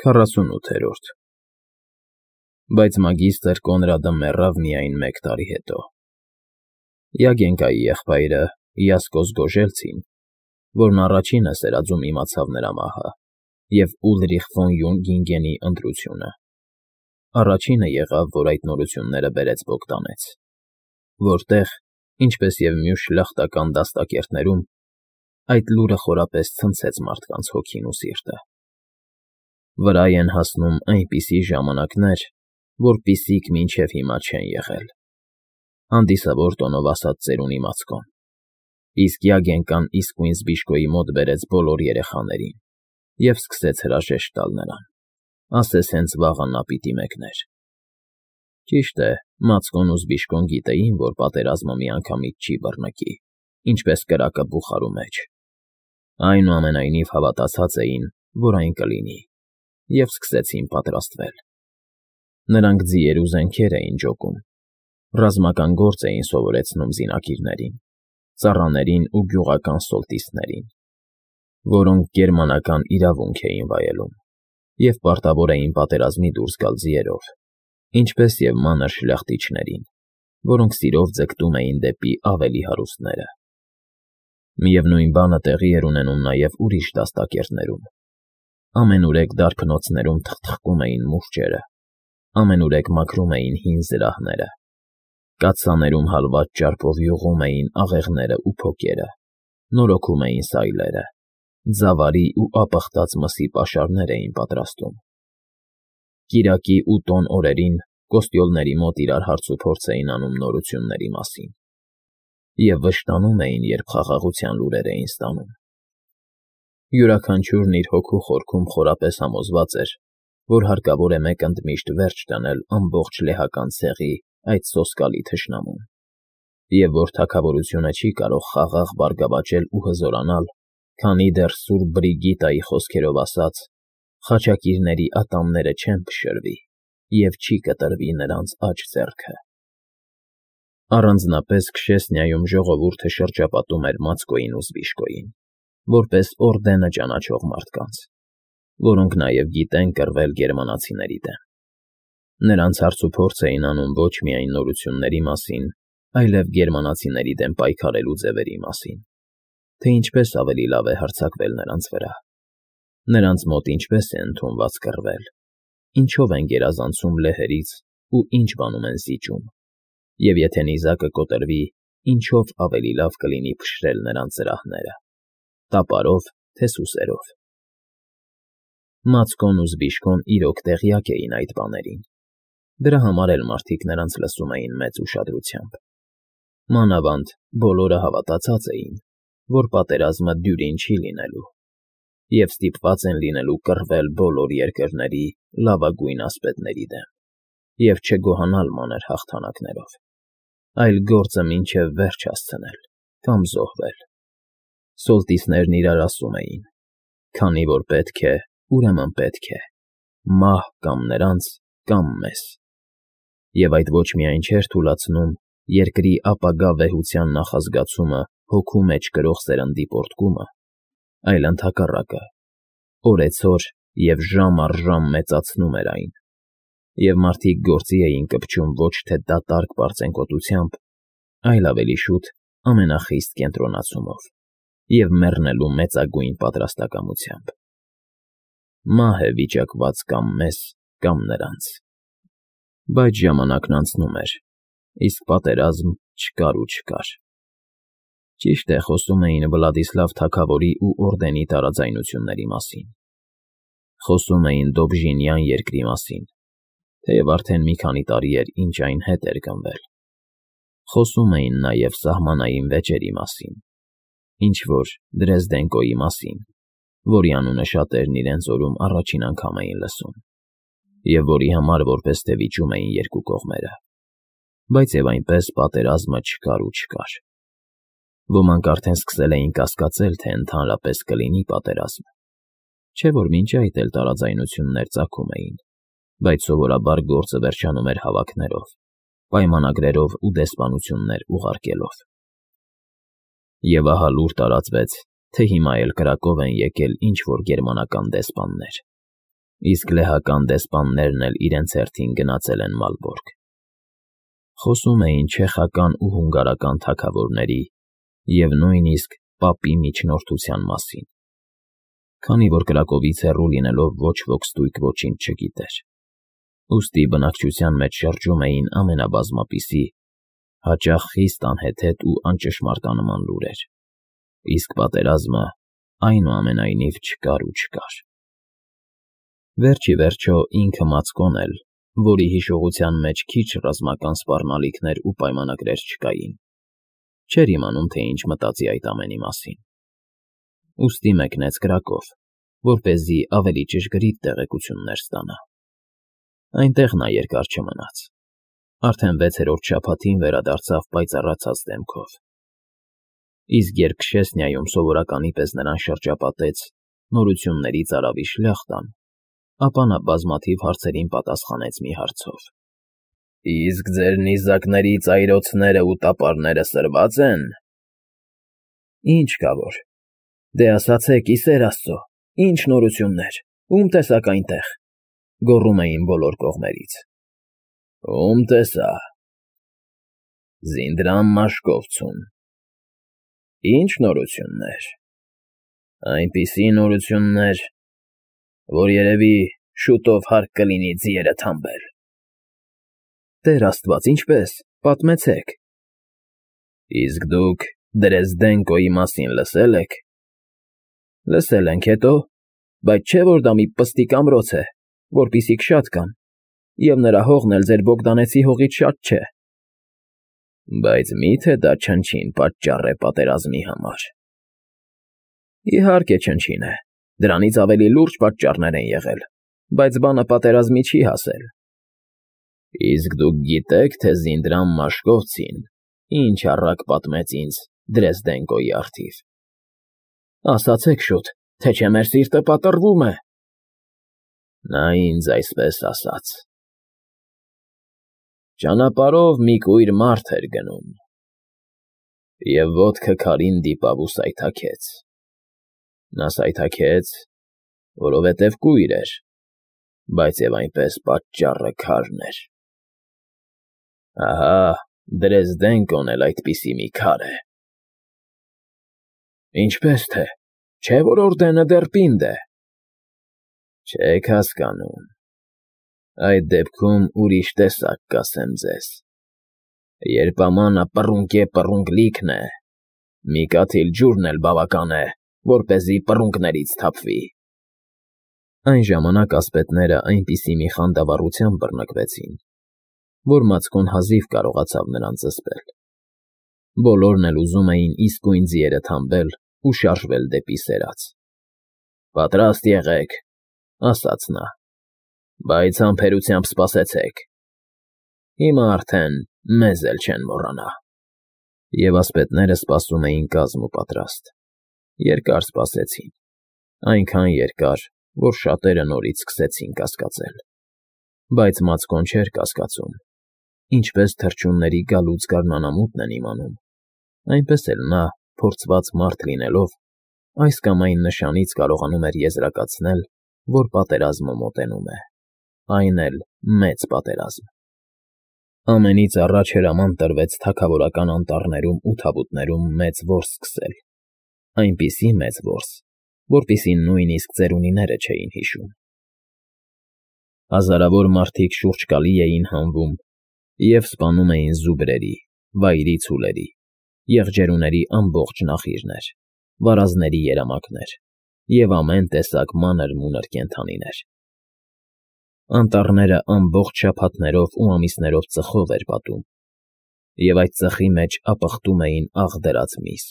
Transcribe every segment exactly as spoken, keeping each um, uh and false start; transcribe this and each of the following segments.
քառասունութերորդ Բայց մագիստր Կոնրադը մեռավ միայն մեկ տարի հետո։ Յագենկայի եղբայրը Յասկոս Գոժելցին, որն առաջինը սերածում իմացավ նրա մահը, և Ուլրիխ ֆոն Յունգինգենի ընտրությունը, առաջինը եղավ, որ այդ նորությունները բերեց Բոգդանեց, որտեղ, ինչպես և մյուս շլախտական դաստակերտներում, այդ լուրը խորապես ցնցեց մարդկանց հոգին ու սիրտը։ Վրայ են հասնում այնպիսի ժամանակներ, որպիսիք մինչև հիմա չեն եղել, հանդիսավոր տոնով ասած ծերունի Մացկոն, իսկ Յագենկան իսկույն Զբիշկոյի մոտ բերեց բոլոր երեխաներին և սկսեց հրաժեշտ տալ նրան, ասես հենց վաղը նա պիտի մեկներ։ Ճիշտ է, Մացկոն ու Զբիշկոն գիտեին, որ պատերազմը միանգամից չի բռնկի, ինչպես կրակը բուխարու մեջ, այնուամենայնիվ հավատացած էին, որ այն կլինի, և սկսեցին պատրաստվել։ Նրանք ձիեր ու զենքեր էին ջոկում, ռազմական գործ էին սովորեցնում զինակիրներին, ծառաներին ու գյուղական սոլտիստներին, որոնք գերմանական իրավունք էին վայելում և պարտավոր էին պատերազմի դուրս գալ ձիերով, ինչպես և մանր շլախտիչներին, որոնք սիրով ձգտում էին դեպի ավելի հարուստները։ Միևնույն բանը տեղի էր ունենում նաև ուրիշ դաստակերտներում։ Ամենուրեք դարբնոցներում թխթխկում էին մուրճերը, ամենուրեք մաքրում էին հին զրահները, կաթսաներում հալված ճարպով յուղում էին աղեղներն ու փոկերը, նորոգում էին սայլերը, ձավարի ու ապխտած մսի պաշարներ էին պատրաստում։ Կիրակի ու տոն օրերին կոստյոլների մոտ իրար հարցուփորձ էին անում նորությունների մասին և վշտանում էին, երբ խաղաղության լուրեր էին ստանում։ Յուրաքանչյուրն իր հոգու խորքում խորապես համոզված էր, որ հարկավոր է մեկ ընդմիշտ վերջ դնել ամբողջ լեհական ցեղի այդ սոսկալի թշնամուն, և որ թագավորությունը չի կարող խաղաղ բարգավաճել ու հզորանալ, քանի դեռ սուրբ Բրիգիտայի խոսքերով ասած, խաչակիրների ատամները չեն փշրվի և չի կտրվի նրանց աջ ձեռքը։ Առանձնապես Քշեսնիայում ժողովուրդը շրջապատում էր Մացկոյին ու Զբիշկոյին, որպես օրդենը ճանաչող մարդկանց, որոնք նաև գիտեն կռվել գերմանացիների դեմ։ Նրանց հարցուփորձ էին անում ոչ միայն նորությունների մասին, այլև գերմանացիների դեմ պայքարելու ձևերի մասին, թե ինչպես ավելի լավ է հարձակվել նրանց վրա, նրանց մոտ ինչպես է ընդունված կռվել, ինչով են գերազանցում լեհերից ու ինչ բանում են զիջում, և եթե նիզակը կոտրվի, ինչով ավելի լավ կլինի փշրել նրանց զրահները, տապարով, թե սուսերով։ Մացկոն ու Զբիշկոն իրոք տեղյակ էին այդ բաներին, դրա համար էլ մարդիկ նրանց լսում էին մեծ ուշադրությամբ։ Մանավանդ բոլորը հավատացած էին, որ պատերազմը դյուրին չի լինելու, և ստիպված են լինելու կռվել բոլոր երկրների լավագույն ասպետների դեմ և չգոհանալ մանր հաղթանակներով, այլ գործը մինչև վերջ հասցնել կամ զոհվել։ Սոլտիսներն իրար ասում էին. «Քանի որ պետք է, ուրեմն պետք է, մահ կամ նրանց, կամ մեզ»։ Եվ այդ ոչ միայն չէր թուլացնում երկրի ապագա վեհության նախազգացումը հոգու մեջ կրող սերնդի պոռթկումը, այլ ընդհակառակը, օրեցօր և ժամ առ ժամ մեծացնում էր այն, և մարդիկ գործի էին կպչում ոչ թե դատարկ պարծենկոտությամբ, այլ ավելի շուտ ամենախիստ կենտրոնացումով և մեռնելու մեծագույն պատրաստակամությամբ։ Մահ է վիճակված կամ մեզ, կամ նրանց։ Բայց ժամանակն անցնում էր, իսկ պատերազմ չկար ու չկար։ Ճիշտ է, խոսում էին Վլադիսլավ թագավորի ու օրդենի տարաձայնությունների մասին, խոսում էին Դոբժինյան երկրի մասին, թեև արդեն մի քանի տարի էր, ինչ այն հետ էր գնվել, խոսում էին նաև սահմանային վեճերի մասին, ինչ֊որ Դրեզդենկոյի մասին, որի անունը շատերն իրենց օրում առաջին անգամ էին լսում, և որի համար որպես թե վիճում էին երկու կողմերը, բայց և այնպես պատերազմը չկար ու չկար։ Ոմանք արդեն սկսել էին կասկածել, թե ընդհանրապես կլինի պատերազմ, չէ՞ որ մինչ այդ էլ տարաձայնություններ ծագում էին, բայց սովորաբար գործը վերջանում էր հավաքներով, պայմանագրերով ու դեսպանություններ ուղարկելով։ Եվ ահա լուր տարածվեց, թե հիմա էլ կրակով են եկել ինչ֊որ գերմանական դեսպաններ, իսկ լեհական դեսպաններն էլ իրենց հերթին գնացել են Մալբորգ։ Խոսում էին չեխական ու հունգարական թագավորների և նույնիսկ պապի միջնորդության մասին, քանի որ Կրակովից հեռու լինելով ոչ ոք ստույգ ոչինչ չգիտեր, ուստի բնակչության մեջ շրջում էին ամենաբազմապիսի, հաճախ խիստ անհեթեթ ու անճշմարտանման լուրեր, իսկ պատերազմը այնուամենայնիվ չկար ու չկար։ Վերջ ի վերջո ինքը Մացկոն էլ, որի հիշողության մեջ քիչ ռազմական սպառնալիքներ ու պայմանագրեր չկային, չէր իմանում, թե ինչ մտածի այդ ամենի մասին։ Ուստի մեկնեց Կրակով, որպեսզի ավելի ճշգրիտ տեղեկություններ ստանա։ Այնտեղ նա երկար չմնաց, արդեն վեցերորդ շաբաթին վերադարձավ պայծառացած դեմքով։ Իսկ երբ Քշեսնիայում սովորականի պես նրան շրջապատեց նորությունների ծարավի շլյախտան, ապա նա բազմաթիվ հարցերին պատասխանեց մի հարցով. «Իսկ ձեր նիզակների ծայրոցներն ու տապարները սրվա՞ծ են»։ «Ինչ կա որ, դե ասացեք, ի սեր Աստծո, ինչ նորություններ, ում տեսաք այնտեղ», գոռում էին բոլոր կողմերից։ «Ում տեսա»։ «Զինդրամ Մաշկովցուն»։ «Ինչ նորություններ»։ «Այնպիսի նորություններ, որ երևի շուտով հարկ կլինի ձիերը թամբել»։ «Տեր Աստված, ինչպե՞ս, պատմեցեք»։ «Իսկ դուք Դրեզդենկոյի մասին լսե՞լ եք»։ «Լսել ենք, հետո՞, բայց չէ՞ որ դա մի պստիկ ամրոց է, որպիսիք շատ կան, և նրա հողն էլ ձեր Բոգդանեցի հողից շատ չէ»։ «Բայց մի՞թե դա չնչին պատճառ է պատերազմի համար»։ «Իհարկե չնչին է, դրանից ավելի լուրջ պատճառներ են եղել, բայց բանը պատերազմի չի հասել»։ «Իսկ դուք գիտե՞ք, թե Զինդրամ Մաշկովցին ինչ առակ պատմեց ինձ Դրեզդենկոյի առթիվ»։ «Ասացեք շուտ, թե չէ մեր սիրտը պատռվում է»։ «Նա ինձ այսպես ասաց. ճանապարհով մի կույր մարդ էր գնում և ոտքը քարին դիպավ ու սայթաքեց։ Նա սայթաքեց, որովհետև կույր էր, բայց և այնպես պատճառը քարն էր։ Ահա Դրեզդենկոն էլ այդպիսի մի քար է»։ «Ինչպես թե, չէ՞ որ օրդենը դեռ պինդ է»։ «Չեք հասկանում, այդ դեպքում ուրիշ տեսակ կասեմ ձեզ. երբ ամանը պռունկե֊պռունկ լիքն է, մի կաթիլ ջուրն էլ բավական է, որպեսզի պռունկներից թափվի»։ Այն ժամանակ ասպետները այնպիսի մի խանդավառությամբ բռնկվեցին, որ Մացկոն հազիվ կարողացավ նրանց զսպել։ Բոլորն էլ ուզում էին իսկույն ձիերը թամբել ու շարժվել դեպի սերած։ «Պատրաստ եղեք», ասաց նա, «բայց համբերությամբ սպասեցեք։ Հիմա արդեն մեզ էլ չեն մոռանա»։ Եվ ասպետները սպասում էին կազմ ու պատրաստ։ Երկար սպասեցին, այնքան երկար, որ շատերը նորից սկսեցին կասկածել։ Բայց Մացկոն չէր կասկածում, ինչպես թռչունների գալուց գարնանամուտն են իմանում, այնպես էլ նա, փորձված մարդ լինելով, այս կամ այն նշանից կարողանում էր եզրակացնել, որ պատերազմը մոտենում է, այն էլ մեծ պատերազմ։ Ամենից առաջ հրաման տրվեց թագավորական անտառներում ու թավուտներում մեծ որս սկսել, այնպիսի մեծ որս, որպիսին նույնիսկ ծերունիները չէին հիշում։ Հազարավոր մարդիկ շուրջկալի էին հանվում և սպանում էին զուբրերի, վայրի ցուլերի, եղջերուների ամբողջ նախիրներ, վարազների երամակներ և ամեն տեսակ մանր֊մունր կենդանիներ։ Անտառները ամբողջ շաբաթներով ու ամիսներով ծխով էր պատում, և այդ ծխի մեջ ապխտում էին աղ դրած միս,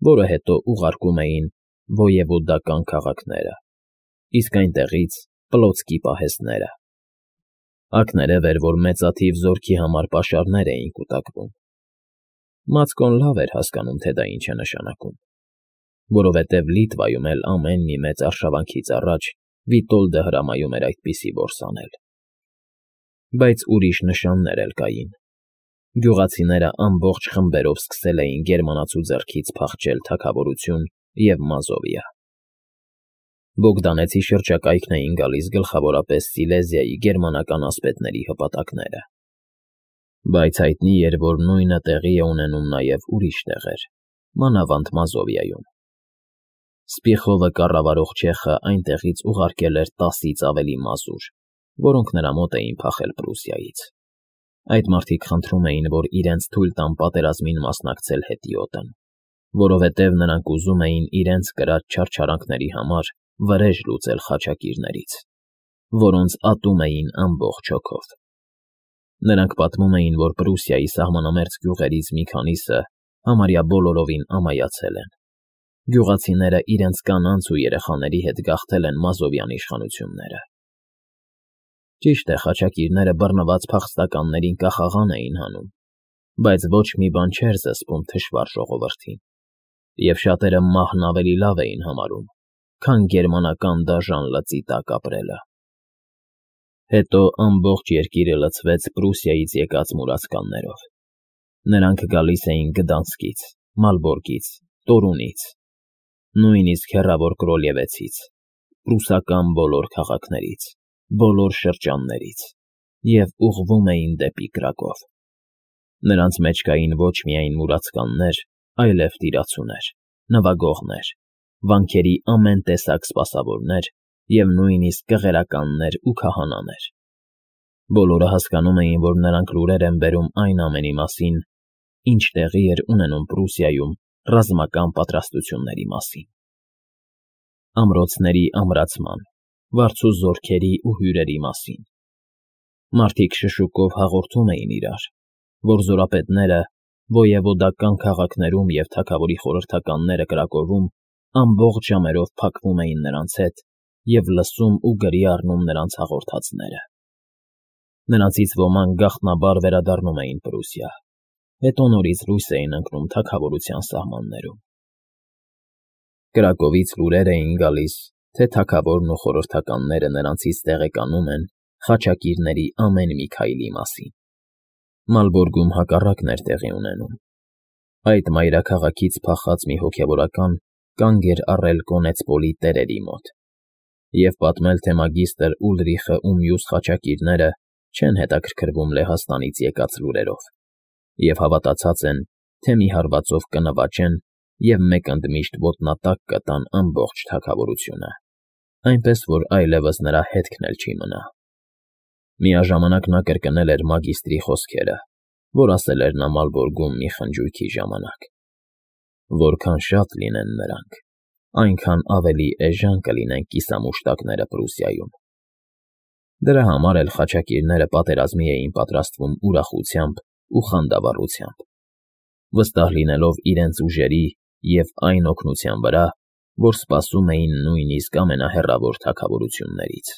որը հետո ուղարկում էին ոյևոդական քաղաքները, իսկ այնտեղից պլոցկի պահեստները։ Ակներև էր, որ մեծաթիվ զորքի համար պաշարներ էին կուտակվում։ Մացկոն լավ էր հասկանում, թե դա ինչ է նշանակում, որովհետև Լիտվայում էլ ամեն մի մեծ արշավանքից առաջ Վիտոլդը հրամայում էր այդպիսի որս անել։ Բայց ուրիշ նշաններ էլ կային։ Գյուղացիները ամբողջ խմբերով սկսել էին գերմանացու ձեռքից փախչել թագավորություն և Մազովիա։ Բոգդանեցի շրջակայքն էին գալիս գլխավորապես Սիլեզիայի գերմանական ասպետների հպատակները։ Բայց հայտնի էր, որ նույնը տեղի է ունենում նաև ուրիշ տեղեր, մանավանդ Մազովիայում։ Սպիխովը կառավարող չեխը այնտեղից ուղարկել էր տասից ավելի մազուր, որոնք նրա մոտ էին փախել Պրուսիայից։ Այդ մարդիկ խնդրում էին, որ իրենց թույլ տան պատերազմին մասնակցել հետիոտն, որովհետև նրանք ուզում էին իրենց կրած չարչարանքների համար վրեժ լուծել խաչակիրներից, որոնց ատում էին ամբողջ հոգով։ Նրանք պատմում էին, որ Պրուսիայի սահմանամերձ գյուղերից մի քանիսը համարյա բոլորովին ամայացել են։ Գյուղացիները իրենց կանանց ու երեխաների հետ գաղթել են Մազովյան իշխանությունները։ Ճիշտ է, խաչակիրները բռնված փախստականներին կախաղան էին հանում, բայց ոչ մի բան չէր զսպում թշվառ ժողովրդին, և շատերը մահն ավելի լավ էին համարում, քան գերմանական դաժան լծի տակ ապրելը։ Հետո ամբողջ երկիրը լցվեց Պրուսիայից եկած մուրացկաններով։ Նրանք գալիս էին Գդանսկից, Մալբորգից, Տորունից, նույնիսկ հեռավոր Կրոլևեցից, պրուսական բոլոր քաղաքներից, բոլոր շրջաններից և ուղղվում էին դեպի Կրակով։ Նրանց մեջ կային ոչ միայն մուրացկաններ, այլև տիրացուներ, նվագողներ, վանքերի ամեն տեսակ սպասավորներ և նույնիսկ կղերականներ ու քահանաներ։ Բոլորը հասկանում էին, որ նրանք լուրեր են բերում այն ամենի մասին, ինչ տեղի էր ունենում Պրուսիայում ռազմական պատրաստությունների մասին։ Ամրոցների ամրացման, վարձու զորքերի ու հյուրերի մասին։ Մարդիկ շշուկով հաղորդում էին իրար, որ զորապետները ոևոդական քաղաքներում և թագավորի խորհրդականները Կրակովում ամբողջ ժամերով փակվում էին նրանց հետ և լսում ու գրի առնում նրանց հաղորդածները։ Նրանցից ոմանք գաղտնաբար վերադառնում էին Պրուսիա, հետո նորից լույս էին ընկնում թագավորության սահմաններում։ Կրակովից լուրեր էին գալիս, թե թագավորն ու խորհրդականները նրանցից տեղեկանում են խաչակիրների ամեն մի քայլի մասին։ Մալբորգում հակառակն էր տեղի ունենում։ Այդ մայրաքաղաքից փախած մի հոգևորական կանգ էր առել Կոնեցպոլի տերերի մոտ և պատմել, թե մագիստր Ուլրիխը ու մյուս խաչակիրները չեն հետաքրքրվում Լեհաստանից եկած լուրերով և հավատացած են, թե մի հարվածով կնվաճեն և մեկ ընդմիշտ ոտնատակ կտան ամբողջ թագավորությունը, այնպես որ այլևս նրա հետքն էլ չի մնա։ Միաժամանակ նա կրկնել էր մագիստրի խոսքերը, որ ասել էր նա Մալբորգում մի խնջույքի ժամանակ. որքան շատ լինեն նրանք, այնքան ավելի էժան կլինեն կիսամուշտակները Պրուսիայում։ Դրա համար էլ խաչակիրները պատերազմի էին պատրաստվում ուրախությամբ ու խանդավառությամբ, վստահ լինելով իրենց ուժերի և այն օգնության վրա, որ սպասում էին նույնիսկ ամենահեռավոր թագավորություններից։